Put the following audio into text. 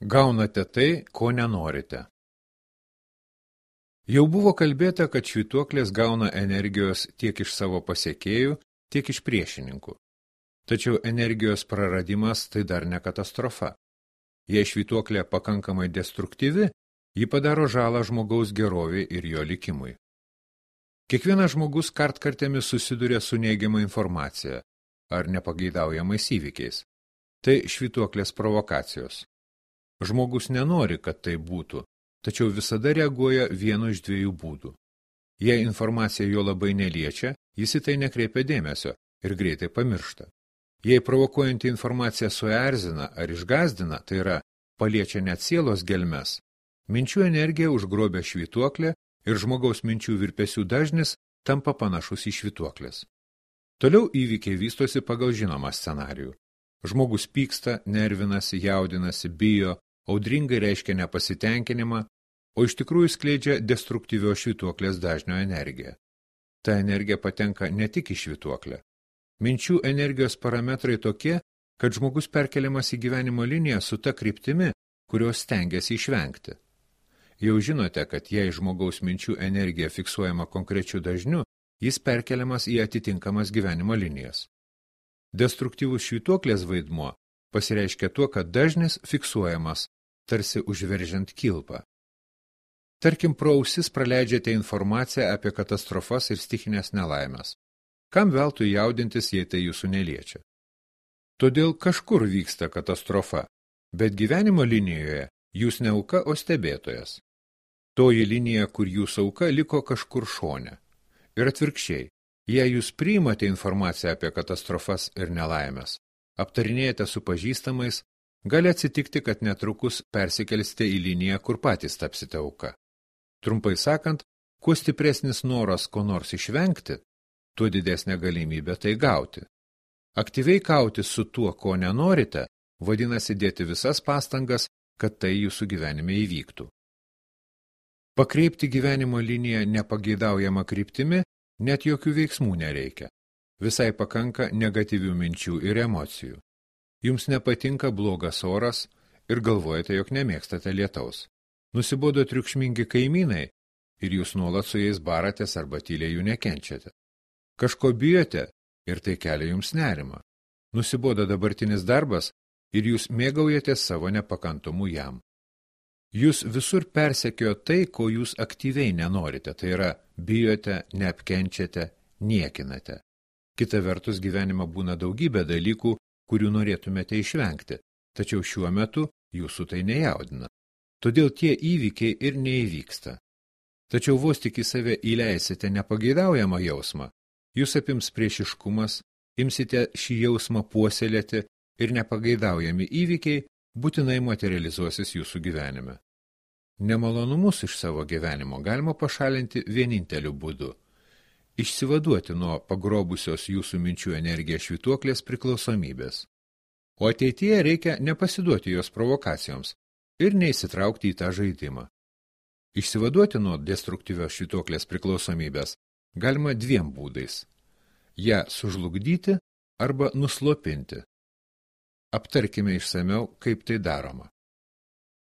Gaunate tai, ko nenorite. Jau buvo kalbėta, kad švytuoklės gauna energijos tiek iš savo pasekėjų, tiek iš priešininkų. Tačiau energijos praradimas tai dar ne katastrofa. Jei švytuoklė pakankamai destruktyvi, ji padaro žalą žmogaus gerovei ir jo likimui. Kiekvienas žmogus kartkartėmis susiduria su neigiama informacija ar nepageidaujamais įvykiais. Tai švytuoklės provokacijos. Žmogus nenori, kad tai būtų, tačiau visada reaguoja vienu iš dviejų būdų. Jei informacija jo labai neliečia, jis į tai nekreipia dėmesio ir greitai pamiršta. Jei provokuojanti informacija suerzina ar išgąsdina, tai yra paliečia net sielos gelmes, minčių energija užgrobia švytuoklę ir žmogaus minčių virpesių dažnis tampa panašus į švytuoklės. Toliau įvykiai vystosi pagal žinomą scenarijų. Žmogus pyksta, nervinasi, jaudinasi, bijo, audringai reiškia nepasitenkinimą, o iš tikrųjų skleidžia destruktyvios švytuoklės dažnio energiją. Ta energija patenka ne tik į švytuoklę. Minčių energijos parametrai tokie, kad žmogus perkeliamas į gyvenimo liniją su ta kryptimi, kurios stengiasi išvengti. Jau žinote, kad jei žmogaus minčių energija fiksuojama konkrečiu dažniu, jis perkeliamas į atitinkamas gyvenimo linijas. Destruktyvus švytuoklės vaidmuo pasireiškia tuo, kad dažnis fiksuojamas, tarsi užveržiant kilpą. Tarkim, pro ausis praleidžiate informaciją apie katastrofas ir stichinės nelaimės. Kam veltui jaudintis, jei tai jūsų neliečia? Todėl kažkur vyksta katastrofa, bet gyvenimo linijoje jūs ne auka, o stebėtojas. Toji linija, kur jūs auka, liko kažkur šone. Ir atvirkščiai, jei jūs priimate informaciją apie katastrofas ir nelaimės, aptarinėjate su pažįstamais, gali atsitikti, kad netrukus persikelsite į liniją, kur patys tapsite auka. Trumpai sakant, kuo stipresnis noras ko nors išvengti, tuo didesnė galimybė tai gauti. Aktyviai kautis su tuo, ko nenorite, vadinasi dėti visas pastangas, kad tai jūsų gyvenime įvyktų. Pakreipti gyvenimo liniją nepageidaujama kryptimi, net jokių veiksmų nereikia. Visai pakanka negatyvių minčių ir emocijų. Jums nepatinka blogas oras ir galvojate, jog nemėgstate lietaus. Nusibodo triukšmingi kaimynai ir jūs nuolat su jais baratės arba tyliai jų nekenčiate. Kažko bijote ir tai kelia jums nerimą. Nusibodo dabartinis darbas ir jūs mėgaujatės savo nepakantumu jam. Jūs visur persekiojo tai, ko jūs aktyviai nenorite, tai yra bijote, neapkenčiate, niekinate. Kita vertus gyvenime būna daugybė dalykų, kurių norėtumėte išvengti, tačiau šiuo metu jūsų tai nejaudina. Todėl tie įvykiai ir neįvyksta. Tačiau vos tik į save įleisite nepageidaujamą jausmą, jūs apims priešiškumas, imsite šį jausmą puoselėti ir nepageidaujami įvykiai būtinai materializuosis jūsų gyvenime. Nemalonumus iš savo gyvenimo galima pašalinti vieninteliu būdu – išsivaduoti nuo pagrobusios jūsų minčių energiją švytuoklės priklausomybės. O ateityje reikia nepasiduoti jos provokacijoms ir neįsitraukti į tą žaidimą. Išsivaduoti nuo destruktyvios švytuoklės priklausomybės galima dviem būdais – ją sužlugdyti arba nuslopinti. Aptarkime išsamiau, kaip tai daroma.